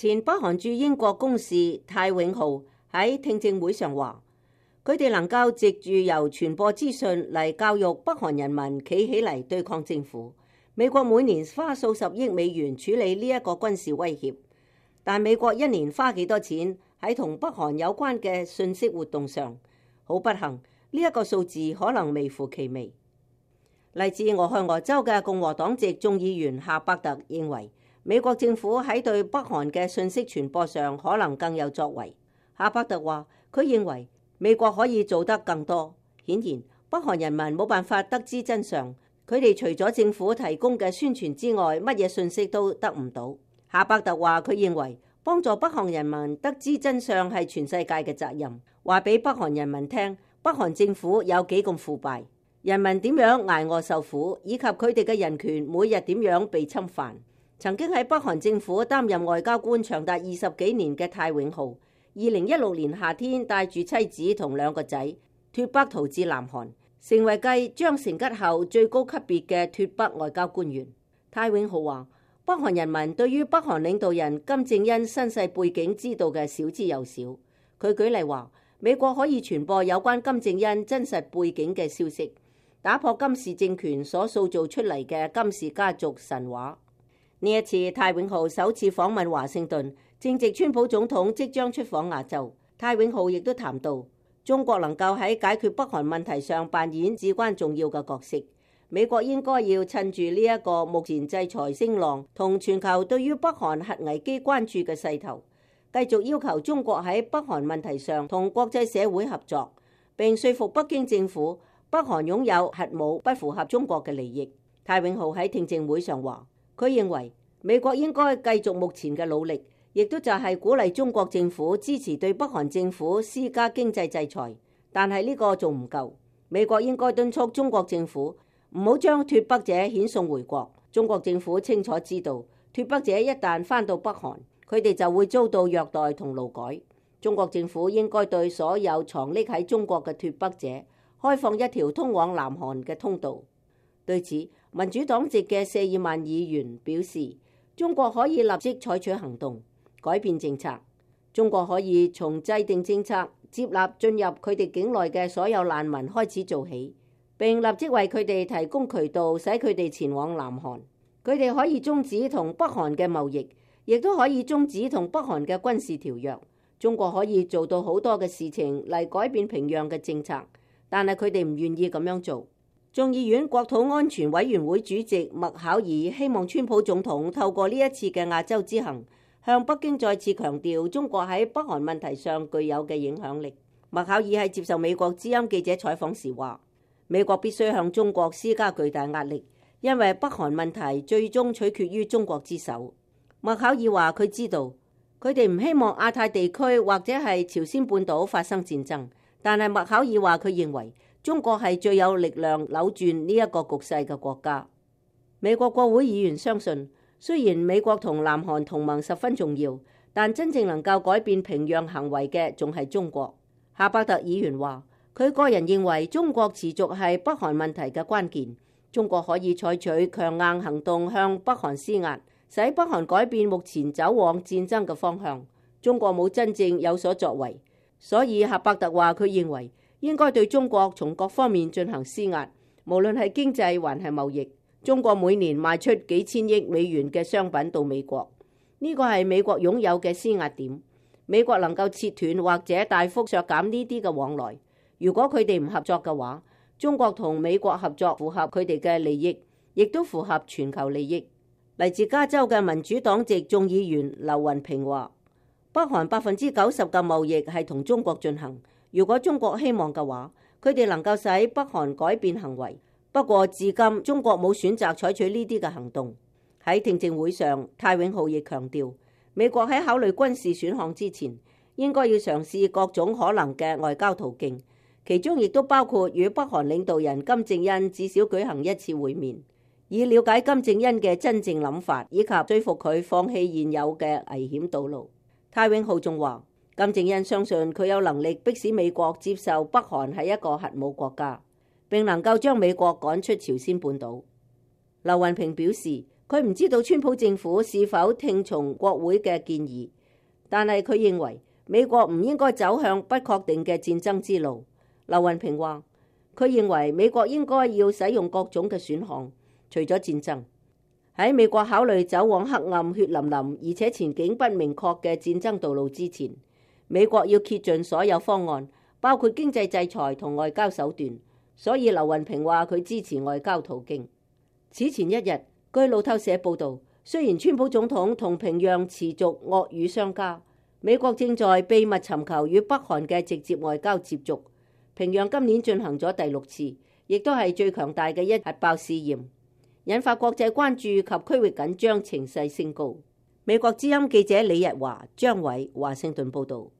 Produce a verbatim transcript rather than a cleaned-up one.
前北韓駐英國公使泰永浩喺聽證會上話，佢哋能夠藉住由傳播資訊嚟教育北韓人民企起嚟對抗政府。美國每年花數十億美元處理呢一個軍事威脅，但美國一年花幾多錢喺同北韓有關嘅信息活動上？好不幸，呢一個數字可能微乎其微。嚟自俄亥俄州嘅共和黨籍眾議員夏伯特認為，美國政府喺對北韓嘅信息傳播上可能更有作為。夏伯特話，佢認為美國可以做得更多。顯然，北韓人民冇辦法得知真相，佢哋除咗政府提供嘅宣傳之外，乜嘢信息都得唔到。夏伯特話，佢認為幫助北韓人民得知真相係全世界嘅責任，話俾北韓人民聽，北韓政府有幾咁腐敗，人民點樣捱餓受苦，以及佢哋嘅人權每日點樣被侵犯。曾經喺北韓政府擔任外交官長達二十幾年嘅泰永浩，二零一六年夏天帶住妻子同兩個仔脫北逃至南韓，成為繼張成吉後最高級別嘅脫北外交官員。泰永浩話，北韓人民對於北韓領導人金正恩身世背景知道嘅少之又少。佢舉例話，美國可以傳播有關金正恩真實背景嘅消息，打破金氏政權所塑造出嚟嘅金氏家族神話。呢一次，泰永浩首次訪問華盛頓，正值川普總統即將出訪亞洲。泰永浩亦都談到，中國能夠喺解決北韓問題上扮演至關重要嘅角色。美國應該要趁住呢一個目前制裁聲浪同全球對於北韓核危機關注嘅勢頭，繼續要求中國喺北韓問題上同國際社會合作，並說服北京政府北韓擁有核武不符合中國嘅利益。泰永浩喺聽證會上話，佢認為美國應該繼續目前嘅努力，亦都就係鼓勵中國政府支持對北韓政府施加經濟制裁，但係呢個仲唔夠。美國應該敦促中國政府唔好將脫北者遣送回國。中國政府清楚知道，脫北者一旦返到北韓，佢哋就會遭到虐待同勞改。中國政府應該對所有藏匿喺中國嘅脫北者開放一條通往南韓嘅通道。對此，民主黨籍嘅謝爾曼議員表示，中國可以立即採取行動，改變政策。中國可以從制定政策、接納進入佢哋境內嘅所有難民開始做起，並立即為佢哋提供渠道，使佢哋前往南韓。佢哋可以終止同北韓嘅貿易，亦都可以終止同北韓嘅軍事條約。中國可以做到好多嘅事情嚟改變平壤嘅政策，但係佢哋唔願意咁樣做。眾議院國土安全委員會主席麥考爾希望川普總統透過呢一次嘅亞洲之行，向北京再次強調中國喺北韓問題上具有嘅影響力。麥考爾喺接受美國之音記者採訪時話，美國必須向中國施加巨大壓力，因為北韓問題最終取決於中國之手。麥考爾話，佢知道佢哋唔希望亞太地區或者係朝鮮半島發生戰爭，但係麥考爾話，佢認為中國係最有力量扭轉呢一個局勢嘅國家。美國國會議員相信，雖然美國同南韓同盟十分重要，但真正能夠改變平壤行為嘅仲係中國。夏伯特議員話，佢個人認為中國持續係北韓問題嘅關鍵。中國可以採取強硬行動向北韓施壓，使北韓改變目前走往戰爭嘅方向。中國冇真正有所作為，所以夏伯特話，佢認為應該對中國從各方面進行施壓，無論係經濟還係貿易。中國每年賣出幾千億美元嘅商品到美國，呢個係美國擁有嘅施壓點。美國能夠切斷或者大幅削減呢啲嘅往來。如果佢哋唔合作嘅話，中國同美國合作符合佢哋嘅利益，亦都符合全球利益。嚟自加州嘅民主黨籍眾議員劉雲平話，北韓百分之九十嘅貿易係同中國進行。如果中國希望嘅話，佢哋能夠使北韓改變行為。不過至今中國冇選擇採取呢啲嘅行動。喺聽證會上，泰永浩亦強調，美國喺考慮軍事選項之前，應該要嘗試各種可能嘅外交途徑，其中亦都包括與北韓領導人金正恩至少舉行一次會面，以了解金正恩嘅真正諗法，以及說服佢放棄現有嘅危險道路。泰永浩仲話，金正恩相信佢有能力迫使美國接受北韓係一個核武國家，並能夠將美國趕出朝鮮半島。劉雲平表示，佢唔知道川普政府是否聽從國會嘅建議，但係佢認為美國唔應該走向不確定嘅戰爭之路。劉雲平話，佢認為美國應該要使用各種嘅選項，除咗戰爭。喺美國考慮走往黑暗、血淋淋而且前景不明確嘅戰爭道路之前，美國要竭盡所有方案，包括經濟制裁同外交手段。所以劉雲平話佢支持外交途徑。此前一日，據路透社報導，雖然川普總統同平壤持續惡語相加，美國正在秘密尋求與北韓嘅直接外交接觸。平壤今年進行咗第六次，亦都係最強大嘅一核爆試驗，引發國際關注及區域緊張情勢升高。美國之音記者李日華、張偉華盛頓報導。